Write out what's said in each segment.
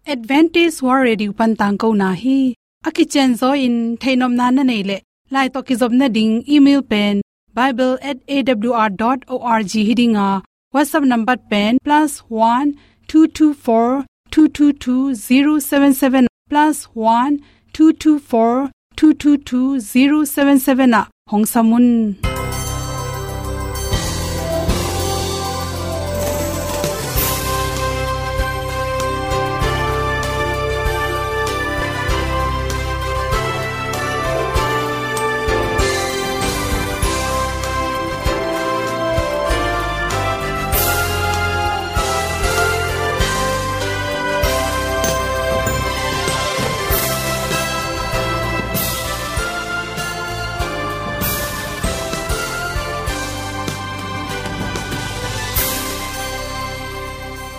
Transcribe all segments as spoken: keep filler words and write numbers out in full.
Adventist World Radio pan tangkona hi. A kicianzaw in theihnopna na neih leh, lai tawh kizopna ding email pen bible at A W R dot org hi ding a, WhatsApp number pen plus one two two four two two two zero seven seven, plus one two two four two two two zero seven seven ah hong sam un.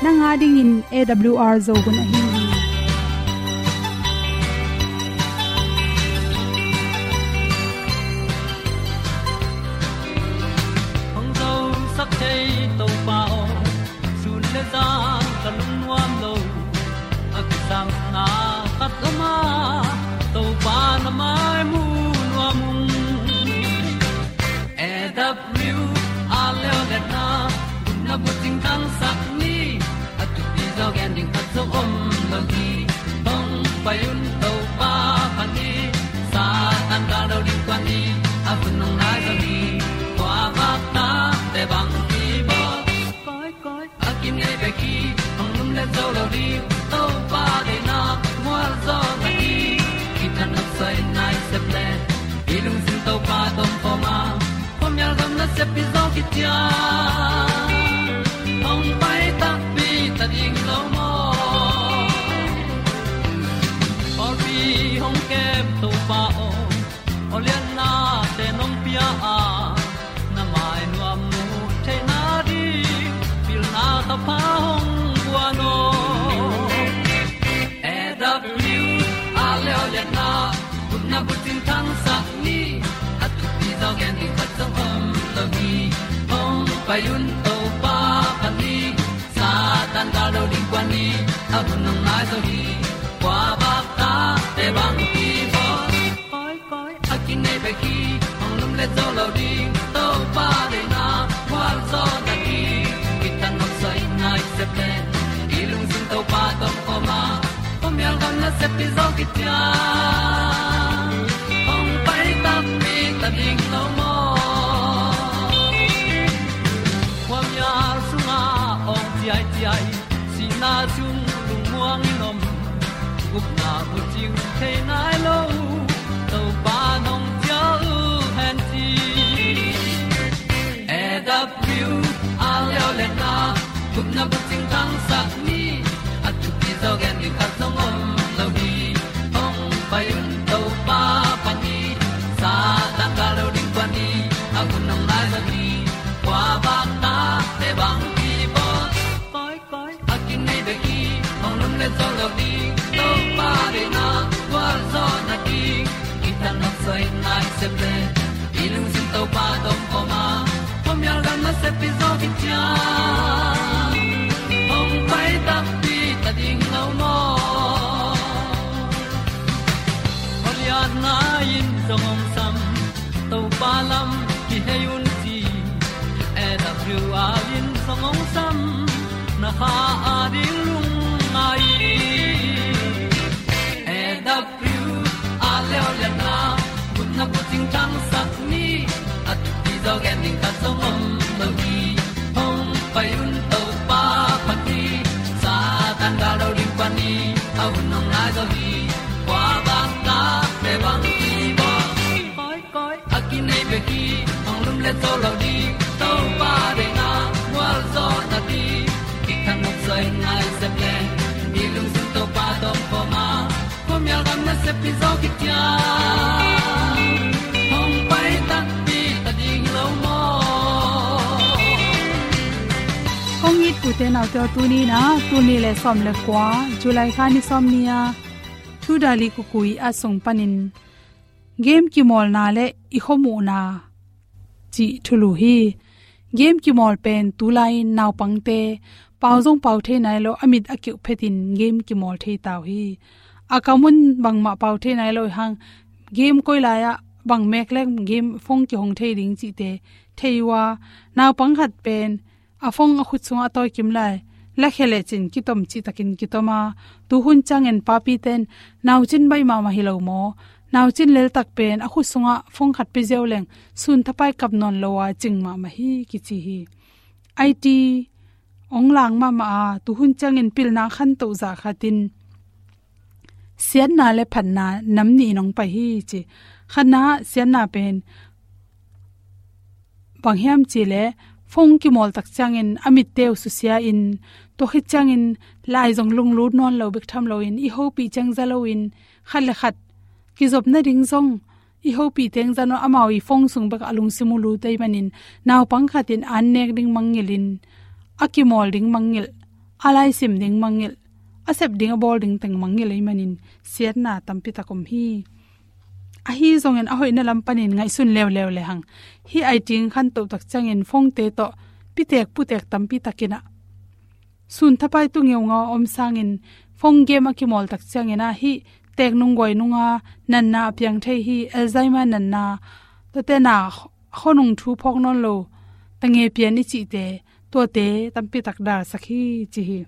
Nang a dingin A W R Zo hun ahi hi. Hong zosak thei Topa aw, sun le zan ka lungnuam lo. A kisapna khat om a, Topa na mai mu nuam ung. A W R Leolehna, gupna bucing thangsak ni, a thupi zaw gen ding khat zong om lo hi. Hong pai un Topa phat ni, Satan gal lo ding kuan ni, a hun hong nai zaw hi. Kua vak ta te bang hi bawl. Koi, koi, a kinei bek hi, hong lumlet zo lo ding, Topa deihna mual zaw na hi. Kithat nopsai nai sep le, i lungsim Topa tawh om khawm a, khuamial gam nasep hi zaw kician. Hong pai takpi ta ding lo maw? Pawlpi hong kem Topa aw, awlianna te nong pia a, na mai nuam mu theihna ding, pilna thapha hong guan aw. A W R Leolehna, gupna bucing thangsak ni, a thupi zaw gen ding khat zong om lo hi. Hong pai un Topa phat ni, Satan gal lo ding kuan ni, a hun hong nai zaw hi. Kua vak ta te bang hi bawl. Koi, koi, a kinei bek hi, hong lumlet zo lo ding, Topa deihna mual zaw na hi. Kithat nopsai nai sep le, i lungsim Topa tawh om khawm a, khuamial gam nasep hi zaw kician. Hong pai takpi ta ding lo maw? Khuamial sungah awng ciaiciai, sihna sung lungmuang in om, gupna bucing thei nai lo, Topa nong cial hen ci. A W R Leolehna, gupna bucing thangsak ni, a thupi zaw gen ding khat zong om lo hi. Hong pai un Topa phat ni, Satan gal lo ding kuan ni, a hun hong nai zaw hi. Kua vak ta te bang hi bawl. Koi, koi, a kinei bek hi, hong lumlet zo lo ding, Topa deihna mual zaw na hi. Kithat nopsai nai sep le, i lungsim Topa tawh om khawm a, khuamial gam nasep hi zaw kician. Hong pai takpi ta ding lo maw? Awlianna in zong hong sam, Topa lam kihei un ci. A W R in zong hong sam, na kha a ding lungngai. A W R Leolehna, gupna bucing thangsak ni, a thupi zaw gen ding khat zong om lo hi. Hong pai un Topa phat ni, Satan gal lo ding kuan ni, a hun hong nai zaw hi. Kua vak ta te bang hi bawl. Koi, koi, a kinei bek hi, hong lumlet zo lo ding, Topa deihna mual zaw na hi. Kithat nopsai nai sep le, i lungsim Topa tawh om khawm a, khuamial gam nasep hi zaw kician. Hong pai takpi ta ding lo maw? Kong it ute naute aw, tuni in ah, tul nih le sawm le kua, July kha ni sawmnih a, Thu Dali Kukui a sung panin, game kimawlna le i khuamuhna cih thulu hi. Game kimawl pen tulai in naupangte pau zong pau thei nai lo, a mit a kiuh phetin game kimawl thei ta uh hi. A kam un bangmah pau thei nai lo hang, game koi lai-ah bang mek leng game phone kihong thei ding cihte thei uh a, naupang khat pen a phone a khut sungah a tawi kim lai, lakhia lecin kitom cihtakin kitom a, tuhun ciangin papite'n naucin baih mahmah hi lo maw, naucin leltak pen a khut sungah phone khat pia ziau leng sun thapai kap nawn lo a cing mahmah hi kici hi. IT ong lang mahmah a, tuhun ciangin pilna khantoh zah khatin siatna le phatna nam nih in ong pai hi ci. Khatna siatna pen bang hiam cih leh phone kimawl tak ciangin a mitte uh susia in, tua khit ciangin lai zong lunglut nawn lo bek tham loin, i hopih ciang za loin, khat le khat kizop nading zong i hopih teng za nawn, amau i phone sung bek a lungsim uh lut ahih manin, naupang khatin an nek ding mangngilhin, a kimawl ding mangngilh, a laisim ding mangngilh, a sep ding a bawl ding teng mangngilh ahih manin siatna tampi tak om hi. Ahi zongin a hoihna lam panin ngaihsun leuleu lehang, hih IT ong khantoh tak ciangin phone-te tawh pitek putek tampi takin ah sun thapai tu ngeungau a om sangin, phone game a kimawl tak ciangin ah hih teek nung guai nunga natna a piang thei hi, Alzheimer natna, tuate na khonung thu phawk nawn lo, tange pian i cihte, tuate tampi tak dalsak hi ci hi.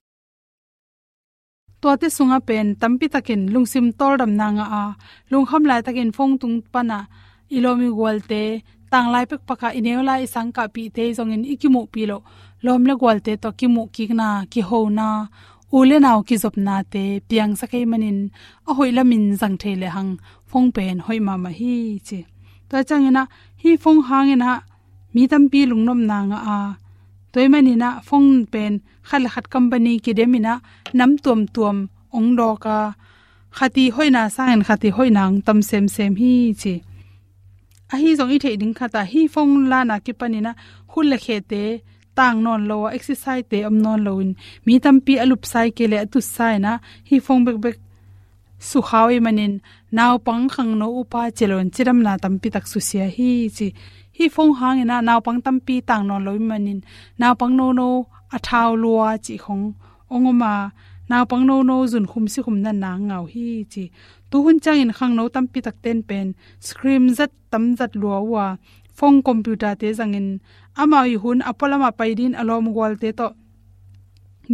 Tuate sungah pen tampi takin lungsim tawldamna ngah a, lungkham laitakin phone tung panah i lawm i gualte, tanglai pekpakah i neu lai i sangkahpihte zongin i kimuhpih loh lawm le gualte tawh kimuhkikna, kihona, u le nau kizopnate piangsak ahih manin, a hoih lamin zang thei lehang phone pen hoih mahmah hi ci. Tua ciangin ah hih phone hangin ah mi tampi lungnopna ngah a, tua ahih manin ah phone pen khat le khat company kidemin ah nam tuamtuam ong dawk a, khat i hoihna sangin khat i hoihna ong tam semsem hi ci. Ahi zong i theih ding khat ah hih phone lana kipanin ah khut le khete tang nawn lo a, exercise-te om nawn loin, mi tampi a lupsa kei leh a tutsa in ah hih phone bekbek sukha uh ahih manin, naupang, khangno, upa ci loin cidamna tampi tak susia hi ci. Hih phone hangin ah naupang tampi tang nawn lo ahih manin, naupang nono a thau lua cih khong ong om a, naupang nono zunkhum sikhum natna ngah uh hi ci. Tuhun ciangin khangno tampi takte'n pen screen zat tam zat lua uh a, phone, computer-te zangin, amau i hun a pualamah pai dingin a lawm gualte tawh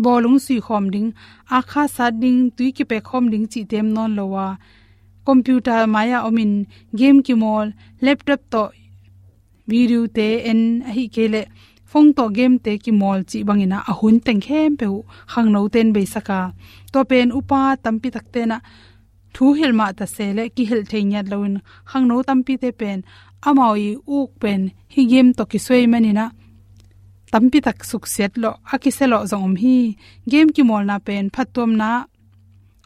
bawlung sui khawm ding, akha sat ding, tui kipek khawm ding cihte om nawn lo a, computer mai-ah omin game kimawl, laptop tawh video-te en, ahih kei leh phone tawh game-te kimawl cih bangin ah a hun teng khempeuh uh khangnote'n beisak a, tua pen upa tampi takte'n ah thu hilh mah ta se leh kihilh thei ngiat loin, khangno tampite pen amau i uk pen hih game tawh kisuai manin ah tampi tak suksiat lawh, a kisia lawh zong om hi. Game kimawlna pen phattuamna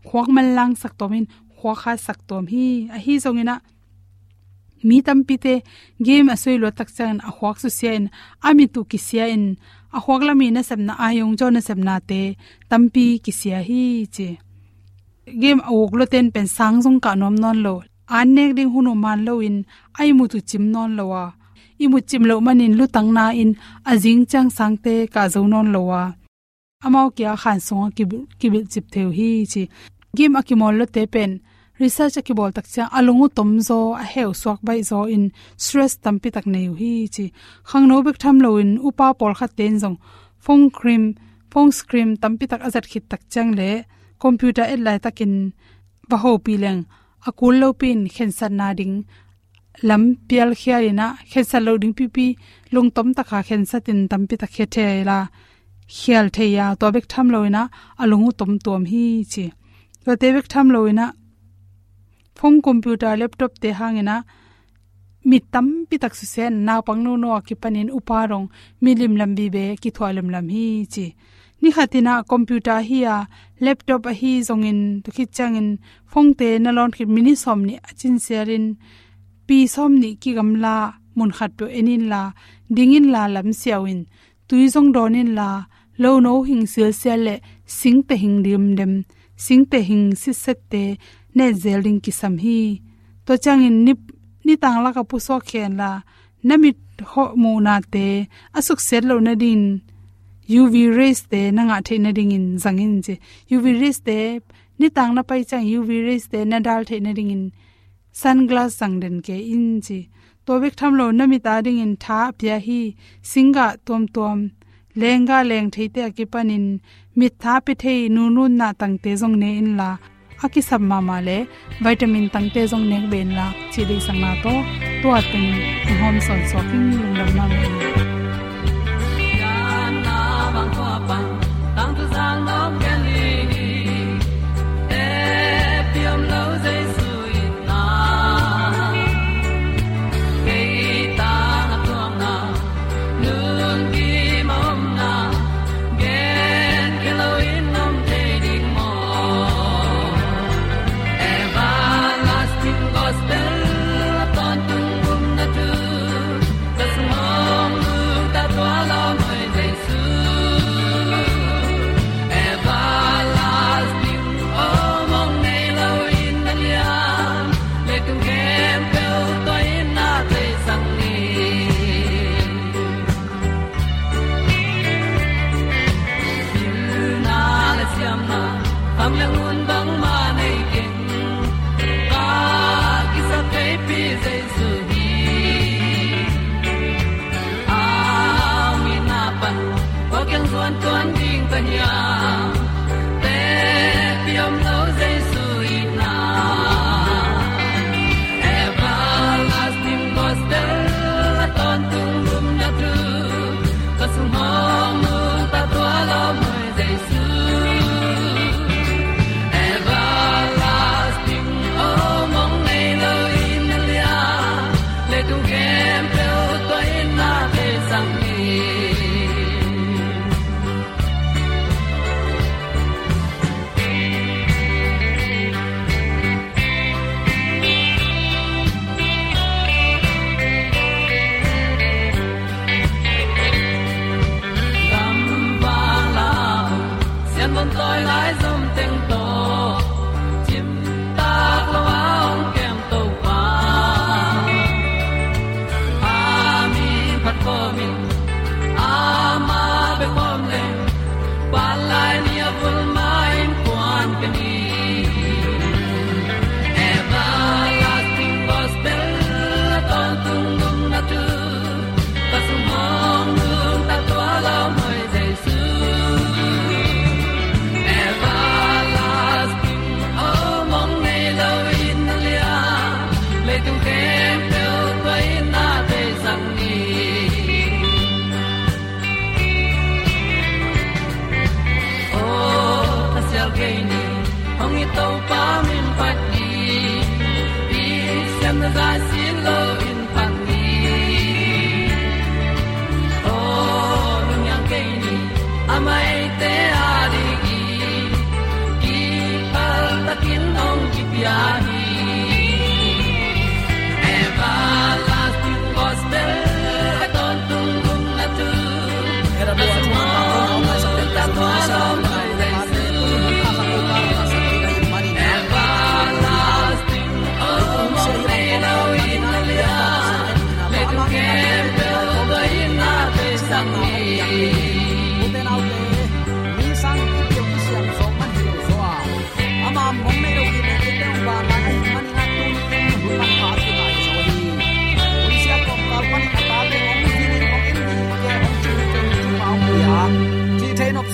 khuak manlangsak tuam in, khuak hatsak tuam hi. Ahi zongin ah mi tampite game a suai luat tak ciangin a khuak susia in, a mit uh kisia in, a khuak lam i nasepna, a yong jaw nasepnate tampi kisia hi ci. Game a uk luate'n pen sang zong kah nuam nawn lo, an nek ding hun uh man loin, a ihmut uh cim nawn lo a, ihmut cim loh manin lutang na-in a zing ciang sangte kah zo nawn lo a, amau kia khan sungah kibil, kibilh cip thei uh hi ci. Game a kimawl luate pen research a kibawl tak ciang a lung uh tom zaw, a heu suak baih zaw in stress tampi tak nei uh hi ci. Khangno bek tham loin upa pawlkhatte'n zong phone screen, phone screen tampi tak a zat khit tak ciang leh computer et laitakin va hopih leng a kul lopi-in khensatna ding lam pialkhial in ah, khensat loh ding pipi lungtom taka khensatin tampi tak khia thei la, khial thei a, tua bek tham loin ah a lung uh tom tuam hi ci. Tuate bek tham loin ah phone, computer, laptop-te hangin ah mit tampi tak susia in, naupang nono a kipanin upa dong mit limlam vive kithuah lemlam hi ci. Ni khatin ah computer ahi a, laptop ahi zongin, tua khit ciangin phone-te na lawn khit minute sawmnih a cinsialin, pi sawmnih kigamla mun khat peuh en inla, ding inla lam siau in, tui zong dawn inla, lono hing silsial leh singteh hing dimdem, singteh hing sitsette netzel ding kisam hi. Tua ciangin ni, nitang laka pusuak khenla, na mit hawh muhnate a suksiat loh nadingin U V rays te na ngah theih nadingin zang in ci. U V rays te nitang na pai ciang U V rays te na dal theih nadingin sunglass zang den kei in ci. Tua bek tham lo na mit adingin tha a pia hi. Singgah tuamtuam, lenggah leng theite a kipanin mittha pia thei nununna tangte zong ne inla, a kisap mahmah le vitamin tangte zong nek beh inla cih deihsakna tawh tua teng hong hawm sawnsuak in lungdam mahmah in.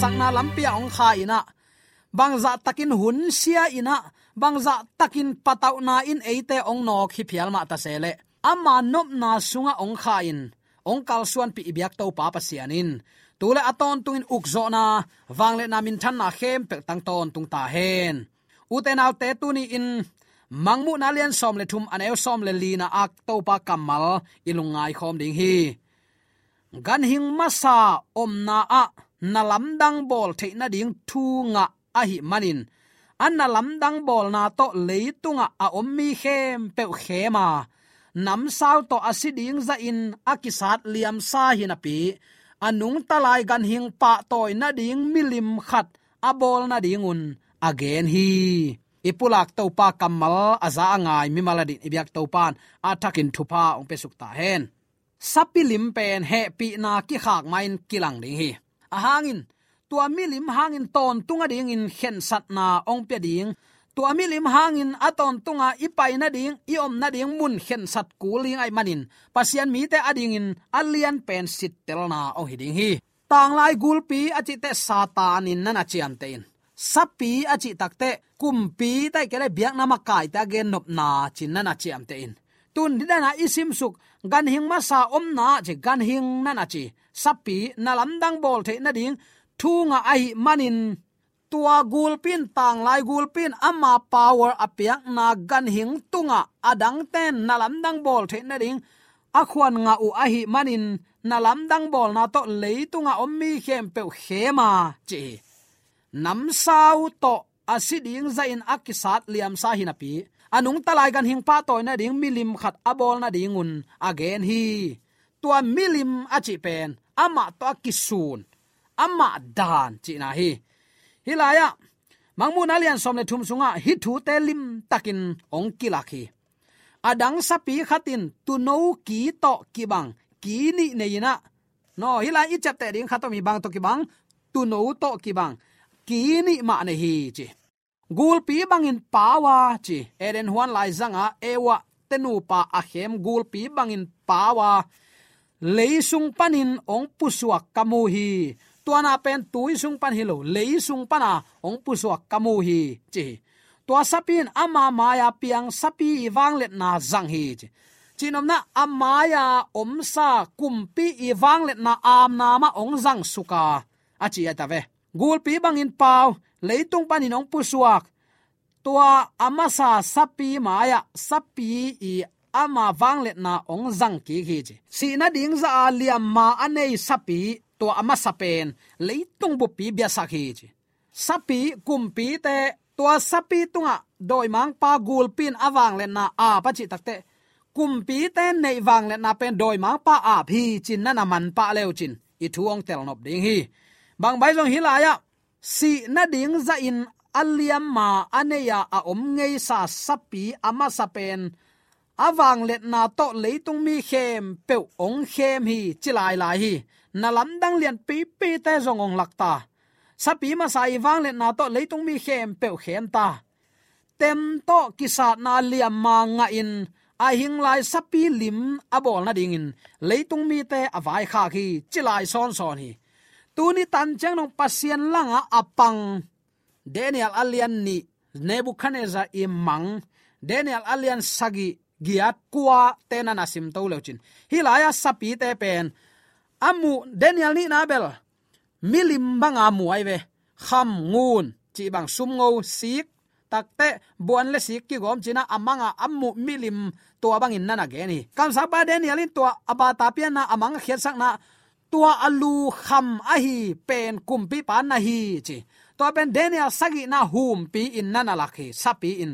Sakna lampi ah hong kha in ah, bangzah takin hun sia in ah, bangzah takin patauhna in eite hong nawk hi phial mah ta se leh, ama nopna sungah hong kha in, hong kalsuanpih i biak Topa Pasian in tu le a tawntungin ukzawhna, vangliatna, minthanna khempeuh tang tawntung ta hen. Ute naute, tuni-in Mangmuhna lian sawm le thum, a neu sawm le lina ah Topa kammal i lungngai khawm ding hi. Ganhing masa omna ah na lamdang bawl theih nading thu ngah ahih manin, a na lamdang bawlna tawh leitungah a om mi khempeuh khem a, namsau tawh a si ding zahin a kisat liamsa hi napi, a nungta lai ganhing pahtawi nading milim khat a bawl nadingun a gen hi. I pulak Topa kammal a za a ngai mimal adingin i biak Topa in a thakin thupha hong piasuk ta hen. Sapi lim pen hehpihna kikhak ma-in kilang ding hi. A hangin, tua milim hangin tawntung a dingin khensatna hong pia ding. Tua milim hangin a tawntunga i pai nading, i om nading mun khensat kul ding ahih manin, Pasian mite a dingin a lianpen sittelna hong hi ding hi. Tanglai gulpi a cih teh Satan in na na ciamteh in, sapi a cih tak teh kumpi tah kei leh biakna makaite a gennopna ci-in na na ciamteh in. Tun didana i simsuk, ganhing masa omna ci, ganhing na na ci, sapi, na lamdang bawl theih nading thu ngah ahih manin, tua gulpi in, tanglai gulpi in ama power a piakna ganhing tungah adangten na lamdang bawl theih nading a khuan ngah uh ahih manin, na lamdang bawlna tawh leitungah om mi khempeuh khem a ci hi. Namsau tawh a si ding zahin a kisat liamsa hi napi, a nungta lai ganhing pahtawi nading milim khat a bawl nadingun a gen hi. Tua milim a cih pen amah tawh a kisun, amah dan cihna hi. Hih lai-ah Mangmuhna lian sawm le thum sungah hih thute limtakin hong kilak hi. Adang sapi khat in tuuno ki tawh kibang ki nih nei in ah, no, hih lai i ciapteh ding khat om hi, bang tawh kibang, tuuno tawh kibang ki nih mah nei hi ci. Gulpi bangin pau a ci, Eden huan laizangah Eva te nupa a khem gulpi bangin pau a, lei sung panin hong pusuak ka mu hi. Tua na pen tui sung pan hi lo, lei sung pana hong pusuak ka mu hi ci hi. Tua sapi in ama mai-a piang sapi i vangliatna zang hi ci. Cihnopna, a mai-a omsa kumpi i vangliatna amna mah hong zang suk a, a ci a ta ve. Gulpi bangin pau, leitung panin hong pusuak, tua a masa sapi mai-ah sapi i ama vangliatna hong zang kik hi ci. Sih nading zah a liamma a nei sapi, tua a masa pen leitung buppi biasak hi ci. Sapi, kumpite, tua sapi tungah dawimangpa gulpi in a vangliatna ap a cih tak teh, kumpite neih vangliatna pen dawimangpa ap hi ci-in na na manpah le uh cin i thu hong telnop ding hi. Bang bang zong hih lai-ah sih nading zahin a liamma a nei-a a om ngeisa sapi a masa pen a vangliatna tawh leitung mi khempeuh hong khem hi ci lailai hi. Na lamdang lianpipite zong hong lak ta. Sapi masa i vangliatna tawh leitung mi khempeuh khem ta. Tem tawh kisatna liamma ngahin a hing lai sapi lim a bawl nadingin leitung mite a vaikhak hi ci lai sawnsawn hi. Tuni tan ciang dong Pasian langah a pang Daniel a lian nih, Nebuchadnezzar i mang, Daniel a lian sagih, giat, kua te na na simto le uh cin, hih lai-ah sapite pen a muh, Daniel nihna bel milim banga mu ahi ve. Kham, ngun cih bang, sumngo, sik, tak teh buan le sik kigawm ci-in ah a manga a muh milim tua bangin na na gen hi. Kamsangpa Daniel in tua a bata pianna, a mang a khiatsakna, tua a lu kham ahi pen kumpipa na hi ci. Tua pen Daniel sagihna humpi in na na lak hi, sapi in.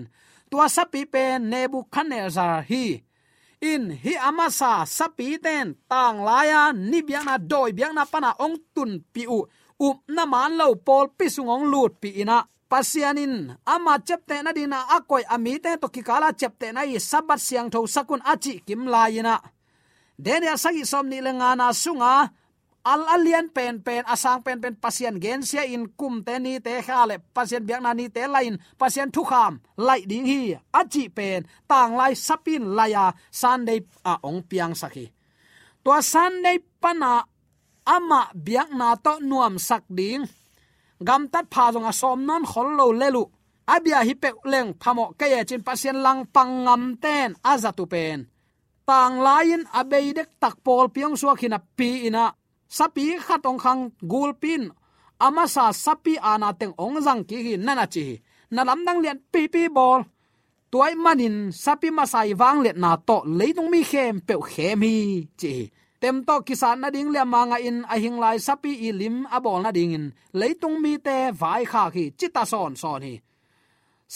Tua sapi pen Nebuchadnezzar hi. In, hih a masa sapite in tanglai-a ni biakna, dawi biakna pana hong tunpih uh, upna man lo pawlpi sung hong lutpih in ah, Pasian in ama ciaptehna dingin a koih a mite tawh kikala ciaptehna hi, Sabbath siangtho sak un a cih kim lai-in ah, Daniel sagih sawmnih le ngana sunga a, a lian penpen, a sang penpen Pasian gensia in, kumte nite kha le Pasian biakna nite la-in Pasian thukham laih ding hi a cih pen tanglai sapi in lai-a Sunday ah hong piangsak hi. Tua Sunday pana amah biakna tawh nuamsak ding, gamtat pha zong a sawm nawn khol lo lel uh, a bia hi peuh leng phamawh kei e ci-in Pasian langpang ngamte in a zat uh pen tanglai-in a bei dektak pawlpi hong suak hi napi-in ah, sapi khat hong khang gulpi in a masa sapi aana teng hong zang kik hi, na na ci hi. Na lamdang lianpipi bawl. Tua ahih manin sapi masa i vangliatna tawh leitung mi khempeuh khem hi ci hi. Tem tawh kisat nading liamma ngahin a hing lai sapi i lim a bawl nadingin leitung mite vaikhak hi ci ta sawnsawn hi.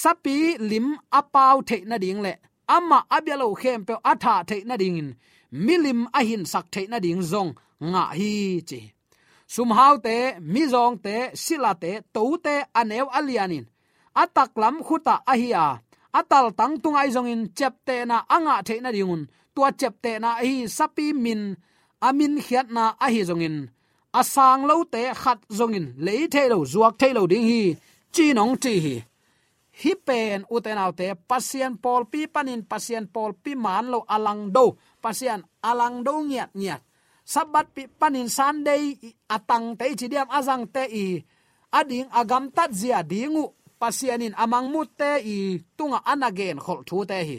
Sapi lim a pau theih nading le amah a bia lo khempeuh a thah theih nadingin milim a hinsak theih nading zong ngah hi ci hi. Sumhaute, mizawngte, silate, tote a neu a lianin a taklam khutah ahi a, a taltang tungah ahi zongin ciaptehna a ngah theih nadingun, tua ciaptehna ahi sapi min, a minkhiatna ahi zongin, a sang lote khat zongin lei thei lo, zuak thei lo ding hi, ci-in hong ci hi. Hih pen ute naute, Pasian pawlpi panin Pasian pawlpi maan lo a langdo, Pasian a langdo ngiatngiat, Sabbath pi panin Sunday a tangte i ci diam, a zangte i a ding a gamtat zia ding uh Pasian in a mangmutte i tungah a na genkholh thute hi.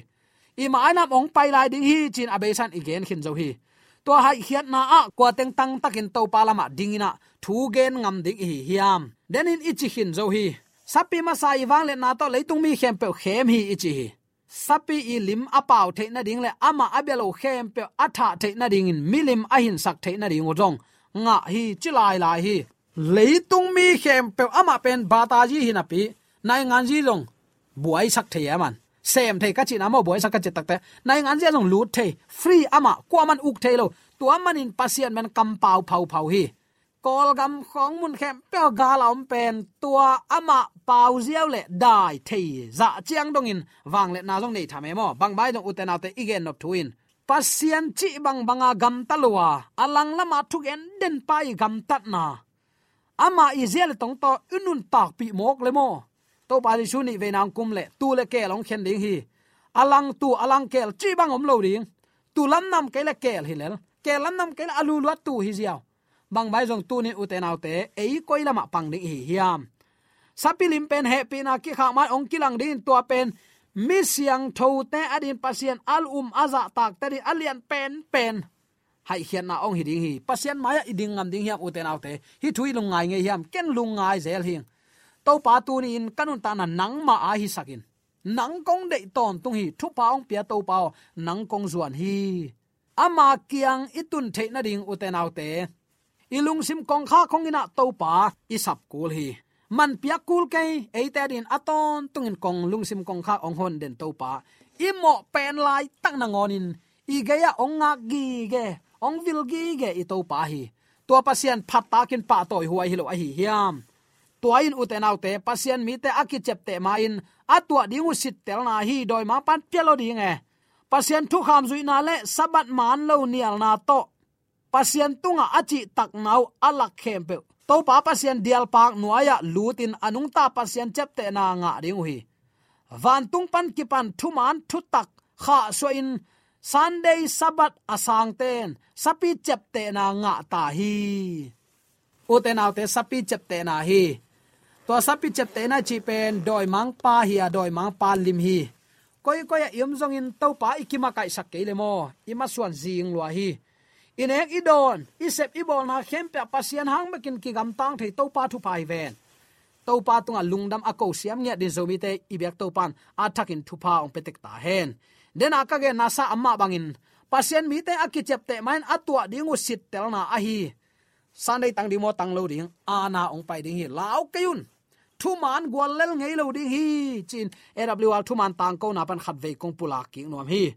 I mainam hong pai lai ding hi, ci-in a beisa in i gen khin zo hi. Tua haihkhiatna ah kua teng tangtakin Topa lamah dingin ah thu gen ngam ding i hi hiam? Denin i ci khin zo hi. Sapi masa i vangliatna tawh leitung mi khempeuh khem hi i ci hi. Sapi i lim a pau theih nading le amah a bia lo khempeuh a thah theih nadingin milim a hinsak theih nading uh zong ngah hi, ci lailai hi. Leitung mi khempeuh amah pen bataji hi napi, nainganzi zong buaisak thei e, aman sem thei ka cihna maw, buaisak ka cih takte nainganzi a zong lut thei, free, amah kuaman uk thei lo. Tua manin Pasian men kampau phauphau hi. Kawlgam khawng mun khempeuh gal a om pen tua amah pau ziau le dai thei zah ciang dongin vangliatna zong nei tham e maw? Bang bai zong ute naute i gen nop thu in Pasian cih bangbanga gamta lo a, a langlama thugen denpa i gamtatna, amah i zia le tong tawh i nuntakpih mawk le maw? Topa Jesu nih veina hong kum le tuu le keel hong khen ding hi. A lang tuu, a lang keel cih bang om lo ding. Tuu lamnam kei le keel hi lel, keel lamnam kei le a luluat tuu hi ziau. Bang bai zong tunin ute naute, ei koi lamah pang ding i hi hiam? Sapi lim pen hehpihna kikhak mai hong kilang dingin tua pen mi siangthote a din Pasian a um a zahtakte din a lian penpen haihkhiatna hong hi ding hi. Pasian mai-ah i ding ngam ding hiam ute naute? Hih thu i lungngai ngei hiam? Ken lungngai zel hing. Topa, tuni-in ka nuntakna nangmah a hisakin, nang kong deih tawntung hi. Thupha hong pia Topa aw, nang kong zuan hi. Ama kiang i tun theih nading ute naute, i lungsim kongkhak hong inah Topa i sap kul hi. Man piak kul kei, eite a din a tawntungin kong lungsim kongkhak hong hon den Topa, i mawh pen laitak nangawnin i gei-ah hong ngak gige, hong vil gige i Topa hi. Tua Pasian phattakin pahtawi huai hi lo ahi hiam? Tua in ute naute, Pasian mite a kiciapteh ma-in a tuah ding uh sittelna hi. Dawimangpa'n pia lo ding e. Pasian thukham zuihna le Sabbath maan lo nialna tawh Pasian tungah a cihtakna uh a lak khempeuh Topa Pasian dialpak nuai-ah lutin a nungta Pasian ciaptehna ngah ding uh hi. Vantung pan kipan thumaan thutak khahsuahin Sunday Sabbath a sangte'n sapi ciaptehna ngah ta hi. Ute naute, sapi ciaptehna hi. Tua sapi ciaptehna cih pen dawimangpa hi a, dawimangpa lim hi. Koikoi ah i om zongin Topa i kimakaihsak kei le maw, i masuan zing lua hi. I nek i dawn, i sep i bawlna khempeuh ah Pasian hang bekin kigamtang thei Topa thupha hi ven. Topa tungah lungdam a ko siam ngiat din Zomite i biak Topa'n a thakin thupha hong pia tek ta hen. Dena ka genna sa amah bangin Pasian mite a kiciapteh ma-in a tuah ding uh sittelna ahi. Sunday tang ding maw, tang lo ding, ana hong pai ding hi, lau kei un. Thumaan gual lel ngei lo ding hi, ci-in A W R thumaan tangkona pan khatvei kong pulak kik nuam hi.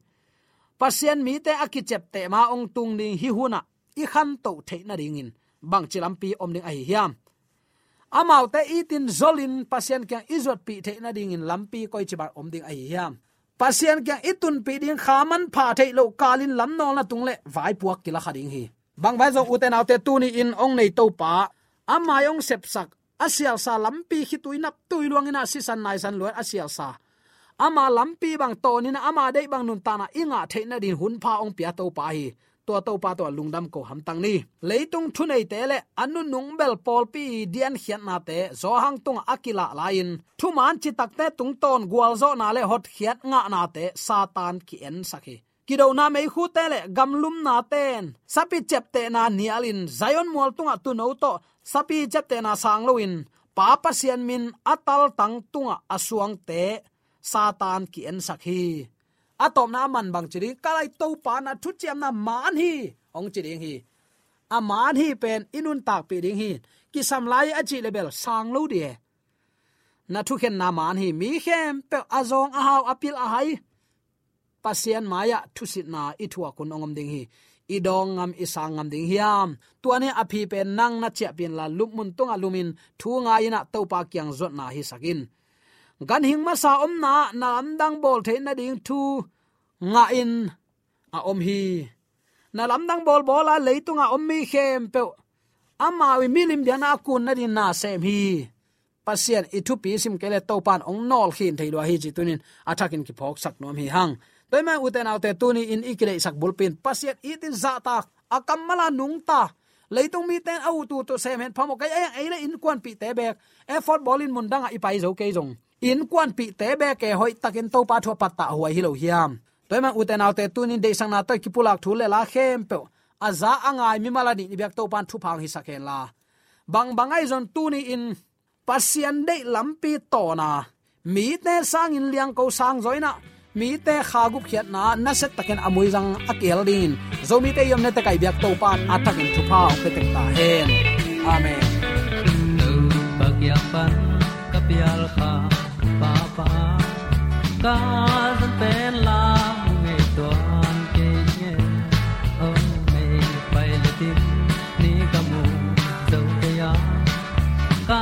Pasian mite a kiciapteh ma hong tung ding hih hunah i khantoh theih nadingin bangci lampi om ding ahi hiam? Amaute itin zolin Pasian kiang i zuatpih theih nadingin lampi koici bang om ding ahi hiam? Pasian kiang i tunpih ding kha manpha theih loh kalin lamnawlna tung le vaipuak kila kha ding hi. Bang bai zong ute naute, tuni-in hong nei Topa, a mai hong sepsak, a sialsa lampi khitui naptui luangin ah sisan naisan luat a sialsa, ama lampi bang tawnin ah ama deih bang nuntakna i ngah theih nadin hunpha hong pia Topa hi. Tua Topa tawh lungdam ko hamtang ni. Leitung thuneite le a nunung bel pawlpi diankhiatnate Johan tungah a kilah lai-in thumaan citakte tungtawn gualzawhna le hotkhiat ngahnate Satan ki-ensak hi. Kidona meikhute le gamlumnate'n sapi ciaptehna nialin Zion mual tungah tuuno tawh sapi ciaptehna sang loin Pa Pasian min a taltang tungah a suangte Satan ki-ensak hi. A tawpna a man bang ci ding, ka lai Topa na thuciamna maan hi, hong ci ding hi. A maan hi pen i nuntakpih ding hi. Kisam lai a cih le bel sang lo dih e. Na thukhenna maan hi. Mi khempeuh a zawng a hau a pil a hai Pasian mai-ah thusitna i thuak hun hong om ding hi. I dawng ngam, i sang ngam ding hiam? Tua ni a phi pen nang na ciahpih inla lupmun tungah lumin thu ngai-in ah Topa kiang zuatna hisak in. Ganhing masa omna ah na lamdang bawl theih nading thu ngah in a om hi. Na lamdang bawlbawl a leitungah om mi khempeuh amau i milim biakna a kun nading na sem hi. Pasian i thupi sim kei le Topan ong nawlkhin thei lua hi ci tunin a thakin kiphawksak nuam hi hang. Tua ahih manin ute naute, tuni in i kideihsak bulpi in Pasian itin zahtak, a kammal a nungta, leitung mite in a ut uh tawh sem hen phamawh kei a, ei le innkuanpihte beek, effort bawlin mundang ah i pai zo kei zong, innkuanpihte beek e, hoihtakin Topa thu a pattah huai hi lo hiam? Tua ahih manin ute naute, tuni in deihsakna tawh i kipulak thu le la khempeuh a za a ngai mimal a nih i biak Topan thupha hong hisak henla. Bangbang ahi zong tuni in Pasian deih lampi tawn a, mite sangin liangko sang zaw in ah, mite kha gupkhiatna nasia takin a muizang a kihel dingin Zomite i omna tek ah i biak Topan a thakin thupha hong pia tek ta hen. Amen. Topa kiang pan ka pial kha, Papa, ka zan pen la mu ngei tuan kei nge. Oh, mei pai le tin ni ka mu zo kei a, ka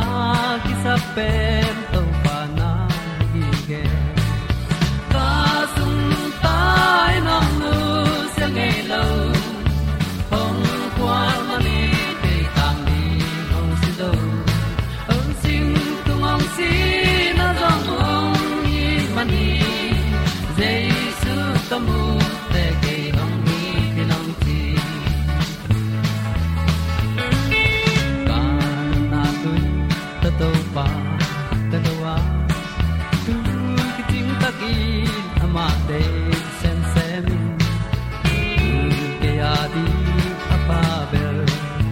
kisap pen Topa na hi nge. Ka sung tai nong nusia ngei lo, hong khual manin kei tang ding hong si zo. Hong sing tung hong si na zong hong hi manin, Jesu ka mu teh kei hong hi ding hong ci. Ka natna tui tawh Topa ka do a, tu kicing takin amah deih semsem in, tu kei a ding a Pa bel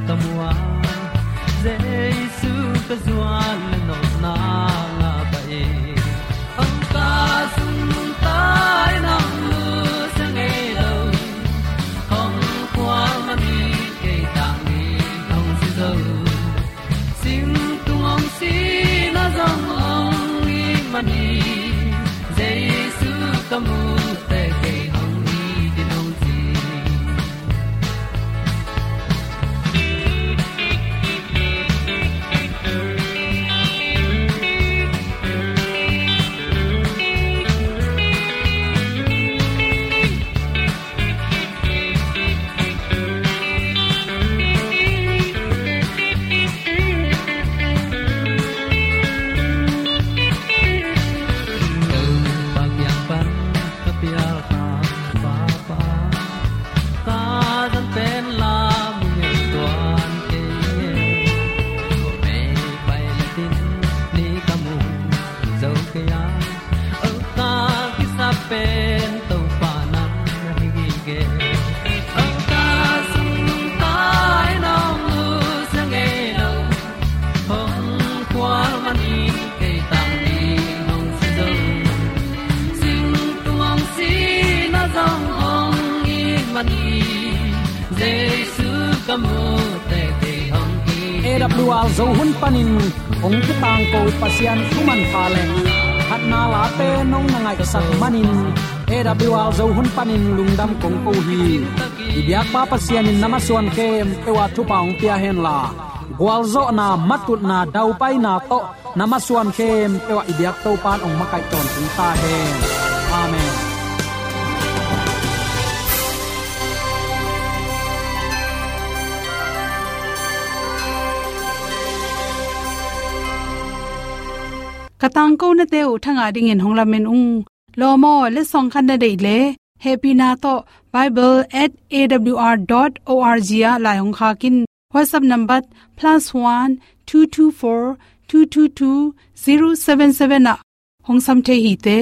ka mu a, Jesu ka zuan le nopna ngah pah in. Hong ka sung tai nong nusia ngei lo, hong khual manin kei tang ding hong si zo. Sing tung hong si na zong hong hi manin, Jesu ka mu teh kei hong hi ding hong ci. Topa kiang pan ka pial kha, Papa, ka zan pen la mu ngei tuan kei nge. Mei pai le tin ni ka mu zo kei a, oh, ka kisap pen Topa na hi nge. Oh, ka sung tai nong nusia ngei lo, hong khual manin kei tang ding hong si zo. Sing tung hong si na zong hong hi manin, Jesu ka mu teh kei hong hi. A W R Zo hun panin hong kitangko Pasian thu manpha le phatna late nong na ngaihsak manin, A W R Zo hun panin lungdam kong ko hi. I biakpa Pasian in na masuan khempeuh ah thupha hong pia henla, gualzawhna, matutna, daupaina tawh na masuan khempeuh ah i biak Topan hong makaih tawntung ta hen. Amen. Ka tangkonate uh thangah dingin hong lamen ung. Lawm aw, letsong khat na deih leh, hehpihna tawh bible at A W R dot O R G ah lai hong khak in. WhatsApp number plus one two two four two two two zero seven seven ah hong sam thei hi te.